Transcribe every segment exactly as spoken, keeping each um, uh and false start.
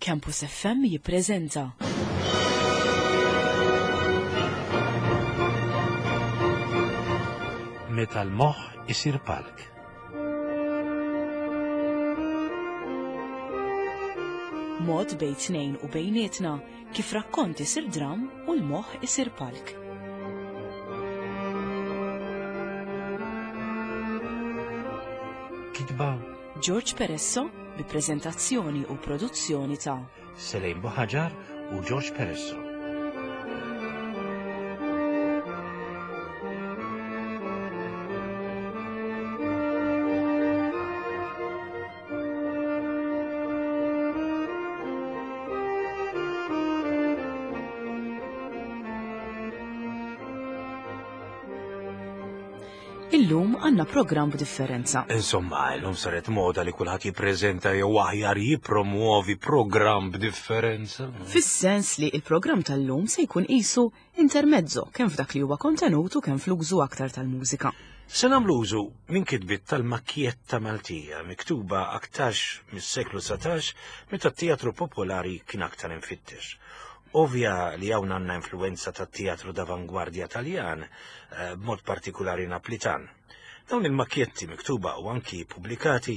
Campus F M jippreżenta Meta l-moħħ isir palk. Mod bejn tnejn u bejnietna kif rakkont isir dram u l-moħħ isir palk. Kitba George Peresso bi preżentazzjoni u produzzjoni ta' Selejn Buħaġar u George Peresso. Illum għandna programm b'differenza. Insomma, illum saret moda li kulħadd jippreżenta jew aħjar jippromuovi programm b'differenza. Fis-sens li il-programm tal-lum se jkun qisu intermezzo kemm f'dak li huwa kontenut u kemm fl-użu aktar tal-mużika. Se nagħmlu użu minn kitbiet tal-makkjetta Maltija miktuba aktarx mis-seklu satax meta t-teatru popolari kien aktar infittex. Ovvja li hawn għandna influenza tat-teatru d'avangwardja Taljan, eh, b'mod partikolari Naplitan. Dawn il-makkjetti miktuba u anki pubblikati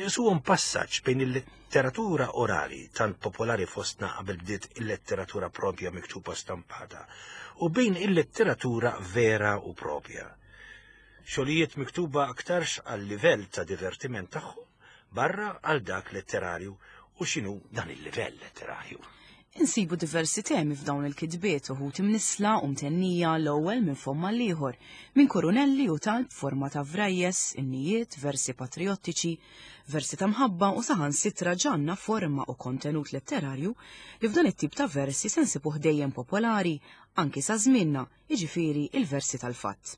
isuhom passaġġ bejn il-letteratura orali tant popolari fostna qabel bdiet il-letteratura propja miktuba stampata u bejn il-letteratura vera u propja. Xogħlijiet miktuba aktarx għal livell ta' divertiment tagħhom barra għal dak letterarju u x'inhu dan il-livell letterarju. Insibu diversi temi f'dawn il-kitbiet uħud imnisla u mtennija l-ewwel minn fomm għall-ieħor, minn kurunelli u talb forma ta' vrajjes, innijiet, versi patriottiċi, versi ta' mħabba u saħansitra ġanna forma u kontenut letterarju li f'dan it-tip ta' versi se nsibuh dejjem popolari anki sa żmienna, jiġifieri il-versi tal-fatt.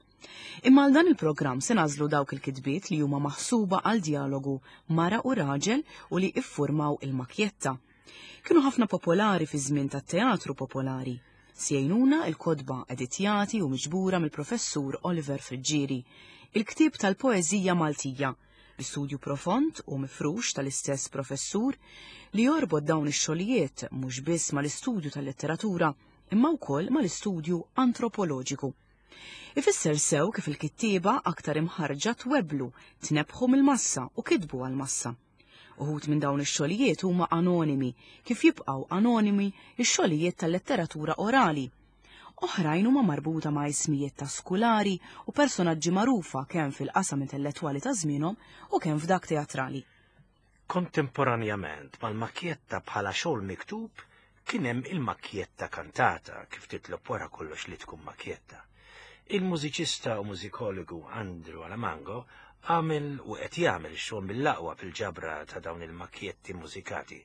Imma għal dan il-programm se nażlu dawk il-kitbiet li huma maħsuba għal dialogu mara u raġel u li iffurmaw il-makkjetta. Kienu ħafna popolari fi żmien tat-teatru popolari. Sjejnuna il-kotba editjati u miġbura mill-professur Oliver Friggieri, il-ktieb tal-poeżija Maltija, bi studju profond u mifrux tal-istess professur li jorbot dawn ix-xogħlijiet mhux biss mal-istudju tal-letteratura imma wkoll mal-istudju antropoloġiku. Ifisser sew kif il-kittieba aktar imħarġa tweblu, tnebħu mill-massa u kitbu għall-massa. Uħud minn dawn ix-xogħlijiet huma anonimi, kif jibqgħu anonimi x-xogħlijiet tal-letteratura orali. Oħrajn huma marbuta ma' ismijiet ta' skulari u personaġġi magħrufa kemm fil-qasam intellettwali ta' żmienhom u kemm f'dak teatrali. Kontemporanjament mal-makkjetta bħala xogħol miktub kien hemm il-makkjetta kantata kif titlob wara kollox li tkun makkjetta. Il-mużiċista u mużikologu Andrew Alamango għamel u qed jagħmel xogħol mill-aqwa fil-ġabra ta' dawn il-makkjetti mużikati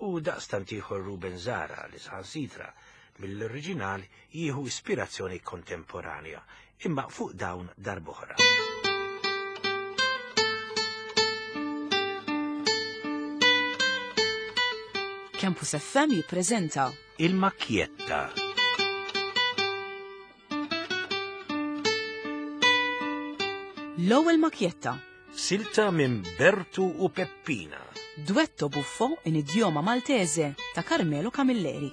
u daqstant ieħor Ruben Zara li saħansitra mill-oriġinal jieħu ispirazzjoni kontemporanja imma fuq dawn darb'oħra. Campus F M jippreżenta Il-Makkjetta. L-ewwel makkjetta. Silta minn Bertu u Peppina. Duetto buffo in idioma Maltese ta' Carmelo Camilleri.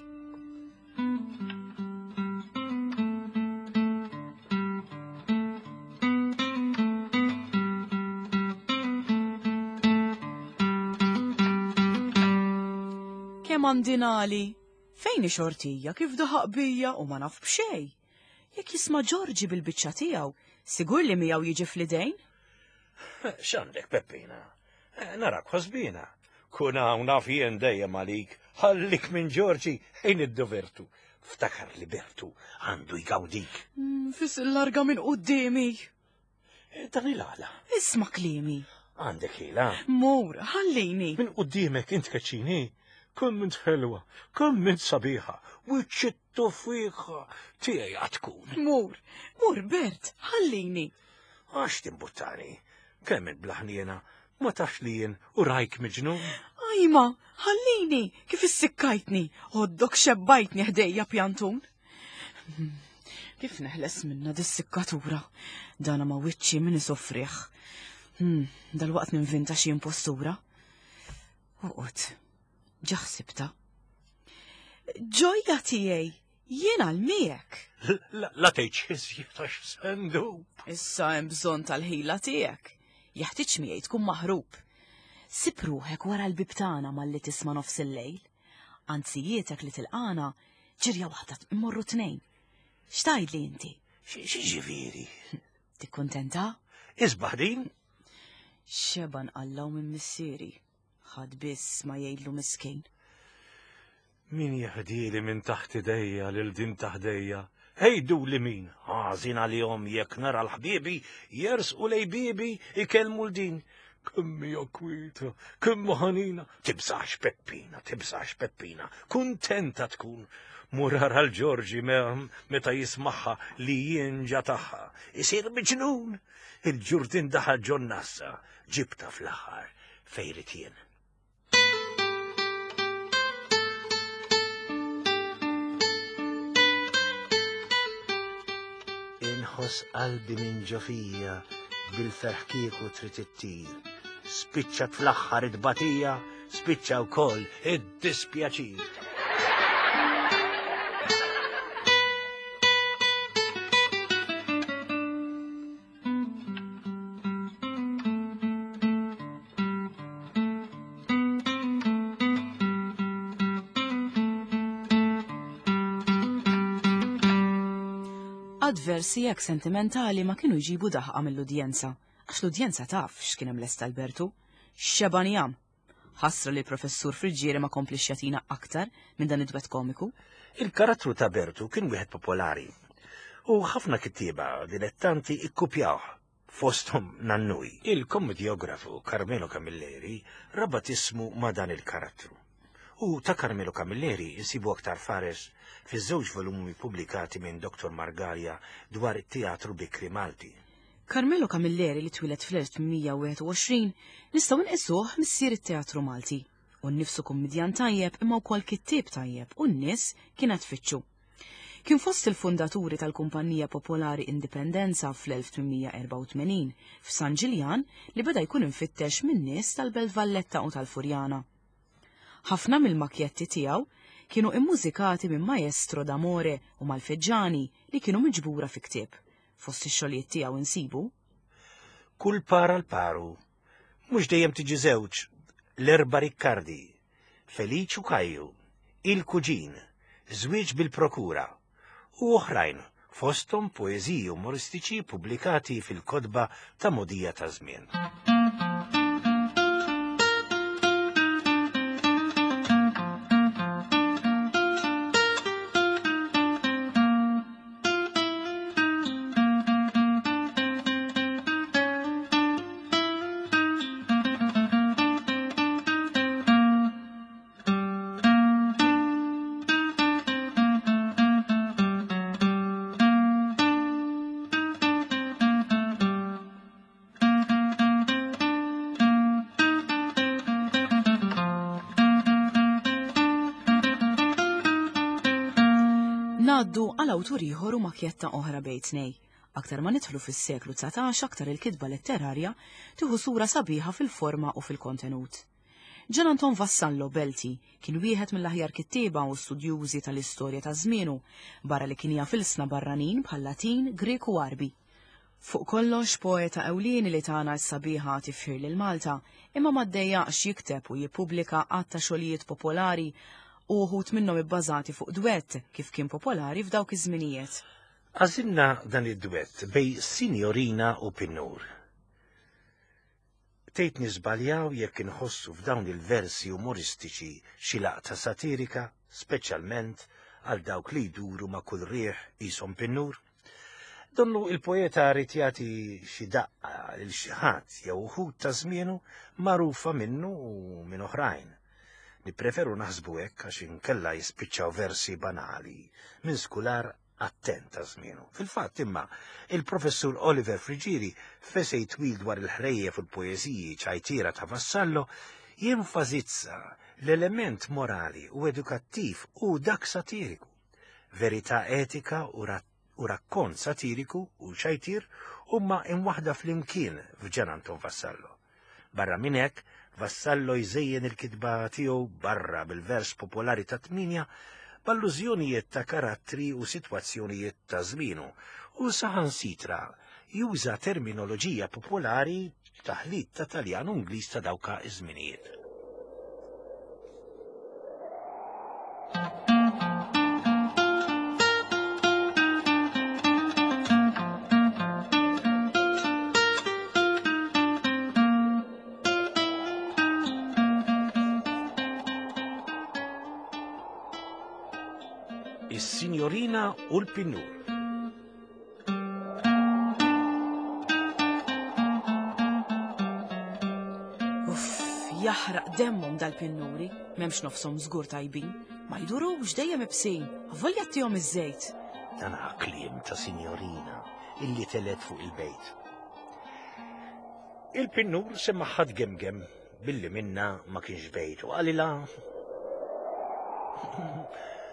Kemm għandi nali? Fejn hi xortija kif daħaq bija u ma naf b'xejn? Jekk jisma' Ġorġi bil-biċċa tiegħu, sigur li miegħu jiġi fl-idejn? X'għandek, Peppina? Eh, narak ħosbina. Kun hawn naf jien dejjem għalik, ħallik minn Ġorġi ejn id-dovertu. Ftakar li Bertu għandu jgawdik. Mm, fis il-larga minn quddiemi. Eh, dan il-għala. Isma' kliemi. Għandek ħila. Mur, ħallini. Minn quddiemek int keċċini. Kemm int ħelwa, kemm int sabiħa, wiċċ it-tuffiħa tiegħi għad tkun. Mur, mur Bert, ħallini. Għax timbuttani, kemm int blaħniena, ma tafx li jien u rajk miġnun. Ajma, ħallini, kif issikkajtni, għoddok xebbajtni ħdejja pjantun. Kif neħles minna dis-sikkatura? Dana ma wiċċi min isofriħ. Hmm, dal-waqt ninvinta xi impostura. Uqgħod, ġa ħsibta. Ġojja tiegħi, jien għal miegħek. La tgħidx iżjed għax sendub. Issa hemm bżonn tal-ħila tiegħek. Jeħtieġ miegħi tkun maħrub. Sib ruħek wara l-bib tagħna malli tisma' nofs il-lejl. Anzijietek li tilqana ġirja waħda immorru tnejn. X'tgħidli inti? X'ġifieri? Tikkuntenta? Isbaħ din? Xeba nqallaw minn missieri. Ħadd biss ma jgħidlu miskin. Min jeħdili minn taħt idejja lil din taħdejja? Ejdu li min? Ħażin għalihom jekk nara l-ħbiebi jersqu lej biebi ikellmu l-din. Kemm hija kwieta, kemm ħanina, tibżax Peppina, tibżax Peppina, kuntenta tkun. Murar għal Ġorġi meta jismaħħa li jien ġa tagħha. Isir miġnun. Il-ġurdin daħal ġon nassa, ġibta fl-aħħar fejn jien. Inħoss qalbi minn ġo fija bil-ferħ kieku trid ittir. Spiċċat fl-aħħar it-tbatija, spiċċa wkoll id-dispjaċir. Versi hekk sentimentali ma kienu jġibu daħqa mill-udjenza, għax l-udjenza taf x'kien hemm lest Albertu. Xeban jam. Ħasra li l-professur Friggieri ma komplix jagħtina aktar minn dan id-dwett komiku. Il-karattru ta' Bertu kien wieħed popolari u ħafna kittieba dilettanti ikkupjawh, fosthom Nannuj. Il-kommedjografu Carmelo Camilleri rabat ismu ma' dan il-karattru. U ta' Carmelo Camilleri insibu aktar fares fiż-żewġ volumi pubblikati minn Doktor Margalia dwar it-teatru bikri Malti. Carmelo Camilleri li twieled fl-elf tmien wieħed u għoxrin nistgħu nqisuh missier it-teatru Malti. U nnifsu kummedjan tajjeb imma wkoll kittieb tajjeb u n-nies kienet tfittxu. Kien fost il-fundaturi tal-Kumpanija Popolari Indipendenza fl-elf tmien erba' u tmenin f'San Ġiljan li beda jkun infittex min-nies tal-Belt Valletta u tal-Furjana. Ħafna mill-makjetti tiegħu kienu immużikati minn Maestro d'Amore u Malfeġġani li kienu miġbura fi ktieb. Fost ix-xogħlijiet tiegħu insibu Kull par għal paru, mhux dejjem tiġi żewġ, l-erba' Riccardi, Feliċ u Kajju, il-Kuġin, Żwieġ bil-Prokura u oħrajn fosthom poeżiji umoristiċi pubblikati fil-kotba ta' Modija ta' żmien. Ngħaddu għal awtur ieħor u makjetta oħra bejn tnej. Aktar ma nidħlu fis-seklu dsatax aktar il-kitba letterarja tieħu sura sabiħa fil-forma u fil-kontenut. Gian Anton Vassallo Belti kien wieħed mill-aħjar kittieba u studjużi tal-istorja ta' żmienu, barra li kien jaf ilsna barranin bħal Latin, Grek u Għarbi. Fuq kollox poeta ewlieni li tagħna s-sabiħa tifħir lil Malta, imma ma ddejjaqx jikteb u jippubblika għadd ta' xogħlijiet popolari u uħud minnhom ibbażati fuq dwett kif kien popolari f'dawk iż-żminijiet. Għażilna dan id-dwett bej Signorina u Pinnur. Tgħid niżbaljaw jekk inħossu f'dawn il-versi umoristiċi xi laqta satirika, speċjalment għal dawk li jduru ma' kull rieħ qishom Pinnur. Donnu il-poeta rid jagħti xi daqqa lil xi ħadd jew uħud ta' żmienu magħrufa minnu u minn oħrajn. Nippreferu naħsbu hekk għax inkella jispiċċaw versi banali minn skular attent ta' żmienu. Fil-fatt imma il-professur Oliver Friggieri f'esej twil dwar il-ħrejjef u l-poeżiji ċajtira ta' Vassallo jenfasizza l-element morali u edukattiv u dak satiriku, verità etika u u rakkont satiriku u ċajtir huma imwaħda flimkien f'Ġan Anton Vassallo. Barra minn hekk, Vassallo jżejjen il-kitba tiegħu barra bil-vers popolari ta' tminja b'allużjonijiet ta' karattri u sitwazzjonijiet ta' żmienu, u saħansitra juża terminoloġija popolari taħlit ta' Taljan u Ingliż ta' dawka iż-żminijiet. Is-Signorina u l-Pinnur. Uff, jaħraq demmhom dal-pinnuri, m'hemmx nofshom żgur tajbin, ma jdurux dejjem ibsin, avolja ttihom iż-żejt. Dan kliem ta' signorina illi telet fuq il-bejt. Il-pinnur semmaħħa tgemgem billi minna ma kienx bejt u qalilha: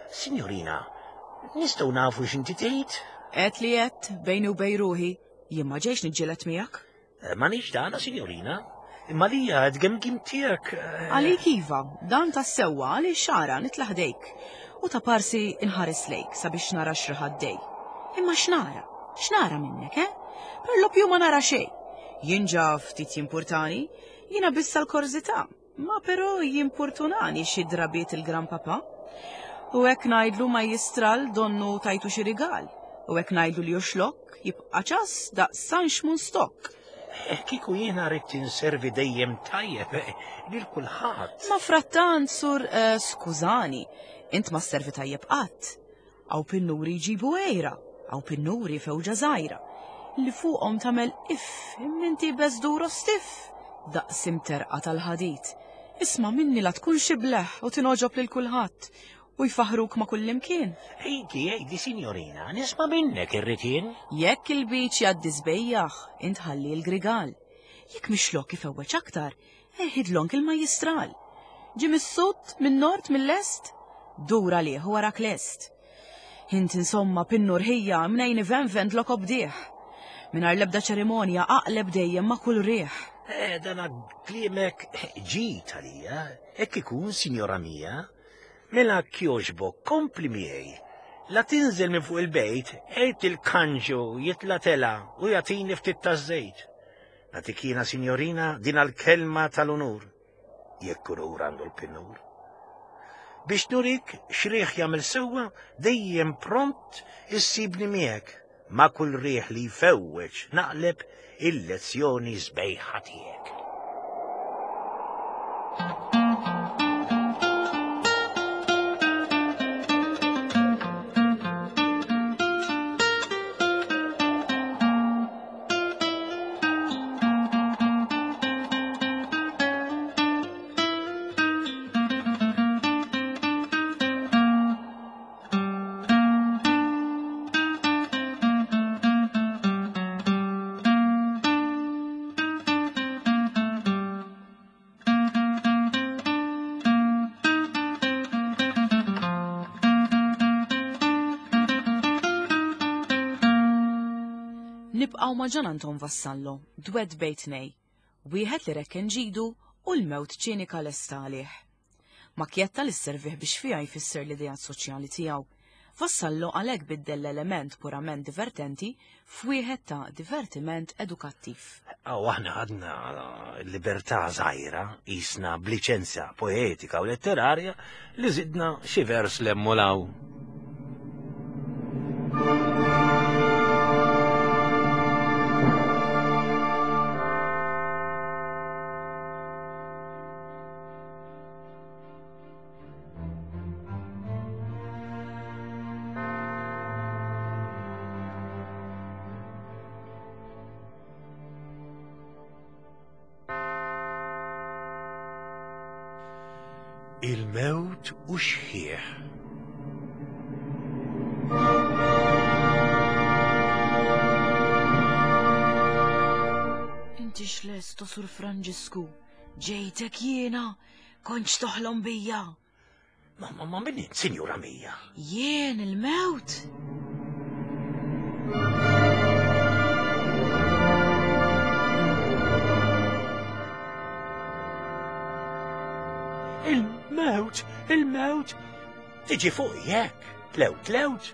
Signorina, nistgħu nafu x'inti tgħid? Għedt li għedt bejni u bejn ruħi, jien ma ġejx niġġieled miegħek. Ma nix dana, signorina, imma lija tgemgim tiegħek. Għalik iva, dan tas-sewwa għaliex xara nitla' ħdejk u ta' parsi inħares lejk sabiex nara x'riħaddej. Imma x'nara? X'nara minnek, eh? Per lo più ma nara xejn. Jien ġa ftit jimpurtani, jiena biss għall-korżità, ma però jimpurtunani xi drabiet il-gran papa. U hekk ngħidlu ma jistral donnu tajtu xi rigal. U hekk ngħidlu li juxlok jibqa' ċas daqs San Xmun Stok. Kieku jiena rrid inservi dejjem tajjeb lil kulħadd. Ma frattant sur eh, skużani, int ma sservi tajjeb qatt. Aw pinnuri jġibu għejra, aw pinnuri fewġa żgħira, li fuqhom tagħmel iff imminti beżdur u stiff, daqs imterqa tal-ħadid. Isma' minni la tkun xi bleħ u tinogħġob lil kulħadd u jfaħruk ma' kullimkien. Ejdi, ejdi, signorina, nisma' minnek irrid jien. Jekk il-biċ jgħaddi żbejjaħ, int ħalli l-grigal. Jekk mixlok ifewweġ aktar, eħidlonk il-majjistral. Ġie mis-sud, min-nord, mill-est, dur għalih u warak lest. Int insomma pinnur ħija mnejn ivenven tlok obdieħ. Mingħajr l-ebda ċerimonja aqleb dejjem ma' kull riħ. Eh, dana kliemek ġid għalija, hekk ikun, sinjora mia. Mela kjoġbok, kompli miegħi. La tinżel minn fuq il-bejt, għejt il-kanġu jitla tela u jagħtini ftit taż-żejt. Nagħtik jiena, signorina, din għall-kelma tal-unur. Jekk unur għandu l-pinnur. Biex nurik x'riħ jagħmel sewwa, dejjem pront issibni miegħek. Ma' kull riħ li jfewweġ naqleb il-lezzjoni sbejħa tiegħek. Nibqgħu ma' Ġan Anton Vassallo, dwed bejt nej, wieħed li rekken ġidu u l-mewt ċinika lesta għalih. Makjetta li sservih biex fiha jfisser l-idejat soċjali tiegħu. Vassallo għalhekk biddel l-element purament divertenti f'wieħed ta' divertiment edukattiv. Aw aħna għadna libertà żgħira, qisna b'liċenzja poetika u letterarja li żidna xi vers lemmulaw. Il-mewt u xħieħ. Inti x'lest, Sur Franġisku? Ġejtek jiena, kontx toħlom bija. Ma, ma, ma min int, sinjura mija? Jien il-mewt. Il-mewt, il-mewt, Tiġi fuq jekk, tlewt tlewt.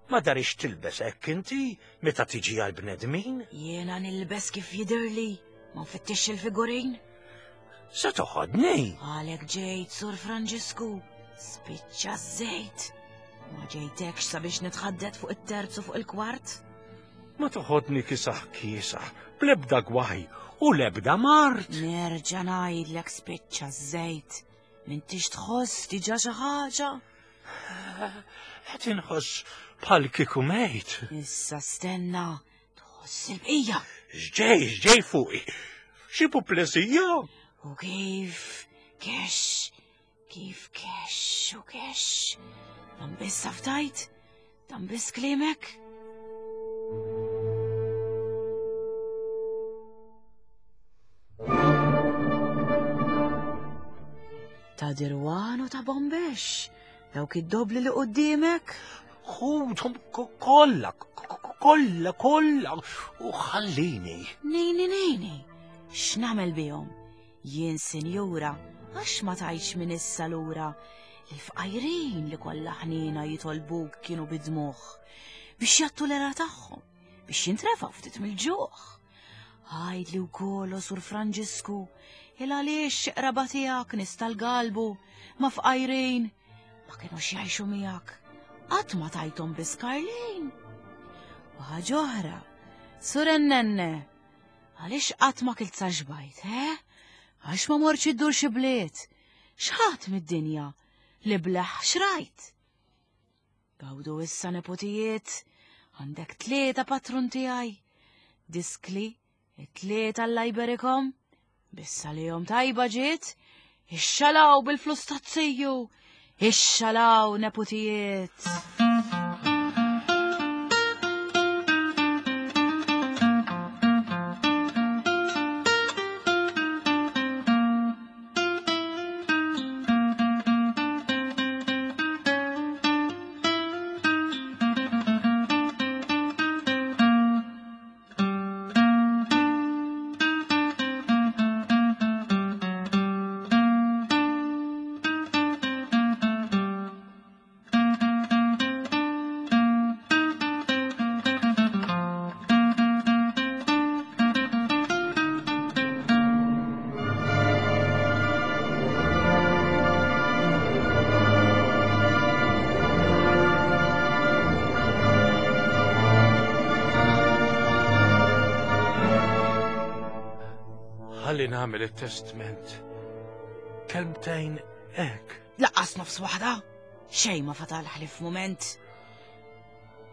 Ma darix tilbes hekk inti meta tiġi għal bnedmin? Jiena nilbes kif jidhirli, ma nfittix il-figurin. Se toħodni? Għalek ġejt, Sur Franġisku, spiċċa żejt. Ma ġejtekx sabiex nitħaddet fuq it-terz u fuq il-kwart? Ma toħodni kisaħ kisaħ, bl-ebda gwaj u l-ebda mart. Nerġa' ngħidlek spiċċa żejt. M'intix tħoss diġà xi ħaġa? Qed inħoss bħal kieku mejt. Issa stenna, tħoss il-bqija. X'ġej, x'ġej fuqi. Xi puplesija? U kif kex, kif kex u kex. Dan biss taftajt, dan biss kliemek. Ta' dirwan u ta' bombex, dawk id-dobli li qudiemek. Ħudhom kollha, kollha, kollha, u ħallini. Nejni, nejni, x'nagħmel bihom? Jien sinjura, għax ma tajtx minn issa lura. Il-fqajrin li kollha ħnina jitolbuk kienu bidmuħ biex jattu l-era tagħhom, biex jintrefaw ftit mill-ġuħ. Għajdli wkoll, Sur Franġisku, il għaliex qraba tiegħek nista' l-galbu ma fqajrin ma kinux jgħixu miegħek. Qatt ma tajthom biss Karlin. U ħaġa oħra, Sur Ennenne, għaliex qatt ma kilt sa xbajt, he? Għax ma mortx iddur xi bliet, x'ħadd mid-dinja li bleħ xrajt. Gawdu issa nepotijiet, għandek tlieta patrun tiegħi, diskli, it-tlieta l-lajberikom, bissa li jom tajba ġiet, ixxalaw bil-flus tazziju, ixxalaw nepotijiet. Ħalli nagħmel it-testament. Kelmtejn hekk. Laqqas nofs waħda, xejn ma fatal ħlif mument.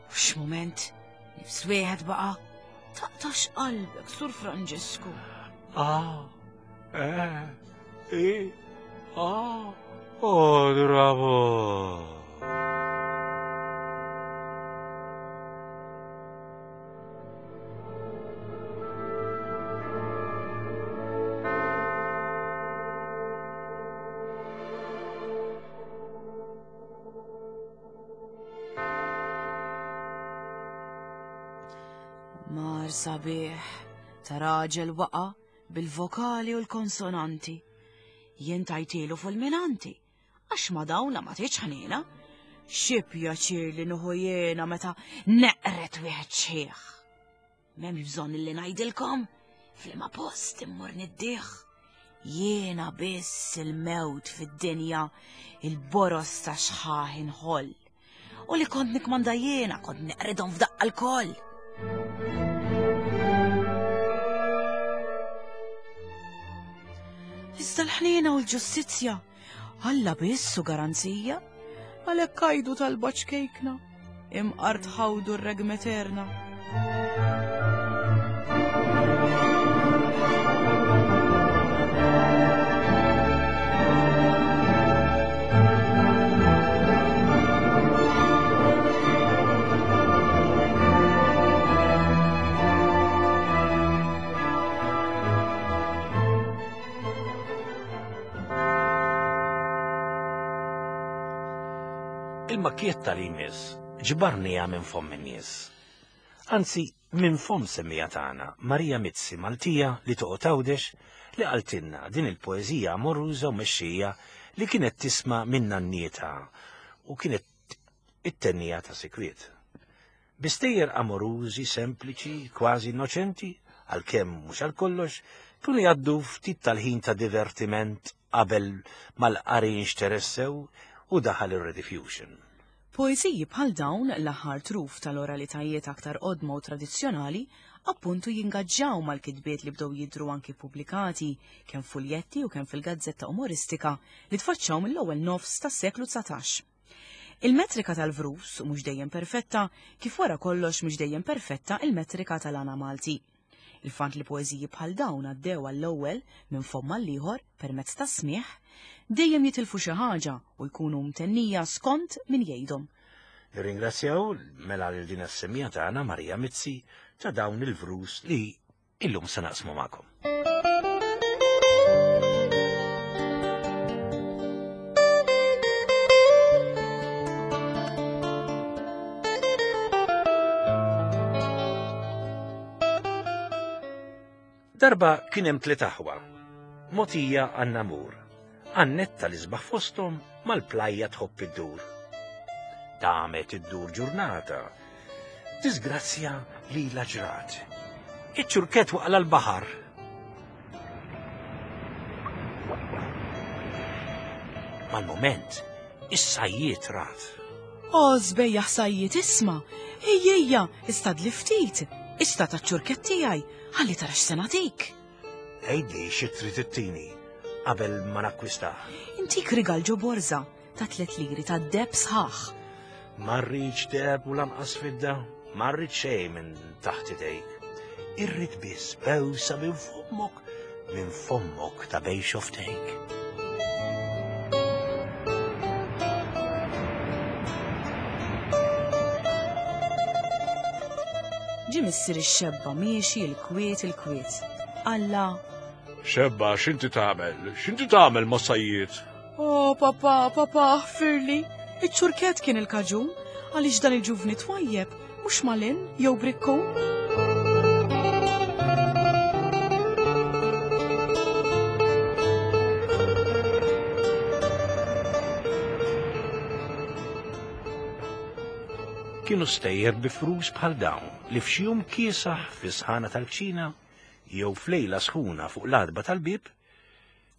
U x'mument, nifs wieħed baqa'. Taqtax qalbek, Sur Franġisku. Ah, eh, i, ah, oh, bravo. Mar sabiħ ta' raġel waqa bil-vokali u l-konsonanti. Jien tajtilu fulminanti, għax ma dawna ma tiġ ħnina. Xi pjaċir li nuħu jiena meta neqret wieħed xieħ. M'hemmx bżonn li ngħidilkom, f'liema post immur niddieħ. Jiena biss il-mewt fid-dinja, il-boros ta' xħaħ inħoll. U li kont nikmanda jiena kont neqridhom f'daqqa l-koll. Iżda l-ħniena u l-ġustizzja, Alla biss u garanzija, għalhekk għajdu tal-baċkejkna, imqar tħawdu r-regmeterna. Il-makkietta li jmiss ġbarnija minn fomm in-nies. Anzi, minn fomm semmija tagħna, Marija Mizzi Maltija li toqgħod Għawdex, li qaltilna din il-poeżija amoruża u mexxija li kienet tisma' minn nannietha u kienet it-tennija ta' sikwiet. Bistejjer amorużi, sempliċi, kważi innoċenti, għalkemm mhux għal kollox, kienu jgħaddu ftit tal-ħin ta' divertiment qabel mal-qari nxteressew u daħal ir-rediffusion. Poeżiji bħal dawn l-aħħar truf tal-oralitajiet aktar qodma u tradizzjonali appuntu jingaġġaw mal-kitbiet li bdew jidhru anki pubblikati kemm fuljetti u kemm fil-gazzetta umoristika li tfaċċaw mill-ewwel nofs tas-seklu dsatax. Il-metrika tal-vrus mhux dejjem perfetta, kif wara kollox mhux dejjem perfetta il-metrika tal-għana Malti. Il-fatt li poeżiji bħal dawn għaddew għall-ewwel minn fomm għall-ieħor permezz ta' smigħ, dejjem jitilfu xi ħaġa u jkunu mtennija skont min jgħidhom. Nirringrazzjaw mela lil din is-semija tagħna Marija Mizzi ta' dawn il-vrus li illum se naqsmu magħkom. Darba kien hemm tliet aħwa, Motija għan-namur, Annetta li sbaħ fosthom mal-plajja tħobb iddur. Damet iddur ġurnata, disgrazzja li la ġrat. Iċ-ċurket waqla l-baħar. Mal-moment, is-sajjiet rat. O, żbejjaħ sajjiet isma', ejja ejja, istad li ftit, ista taċ-ċurket tiegħi, ħalli tara x'se nagħtik. Għidli xi trid ittini qabel ma nakkwistah. Intik rigal ġo borża ta' tliet liri ta' deheb sħaħ. Ma rridx deheb u lanqas fidda, ma rrid xejn minn taħt idejk. Irrid biss bewsa minn fommok, minn fommok ta' bejn xoftejk. Ġie missier ix-xebba miexi l-kwiet il-kwiet. Alla. Xebba, x'inti tagħmel? X'inti tagħmel ma' sajjiet? O, papà, papà, aħfirli. Iċ-ċurket kien il-kaġun, għaliex dan il-ġuvni twajjeb, mhux malin jew brikkun. Kienu stejjer bi frus bħal dawn li f'xi jum kiesaħ fi sħana tal-kċina jew f'lejla sħuna fuq l-adba tal-bib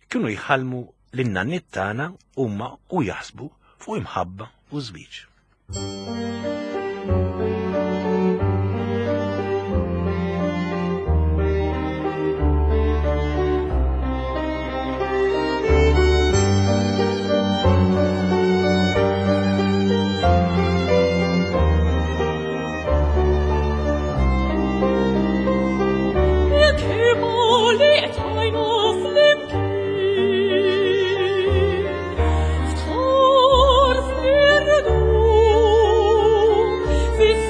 kienu jħallmu lin-nanniet tagħna huma u jaħsbu fuq imħabba u żwieġ. Fis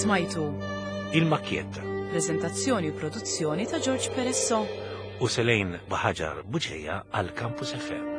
Smajtu Il-Makkjetta. Prezentazzjoni u produzzjoni ta' George Peresso. U Selejn Baħaġar Buġeja għal Campus F M.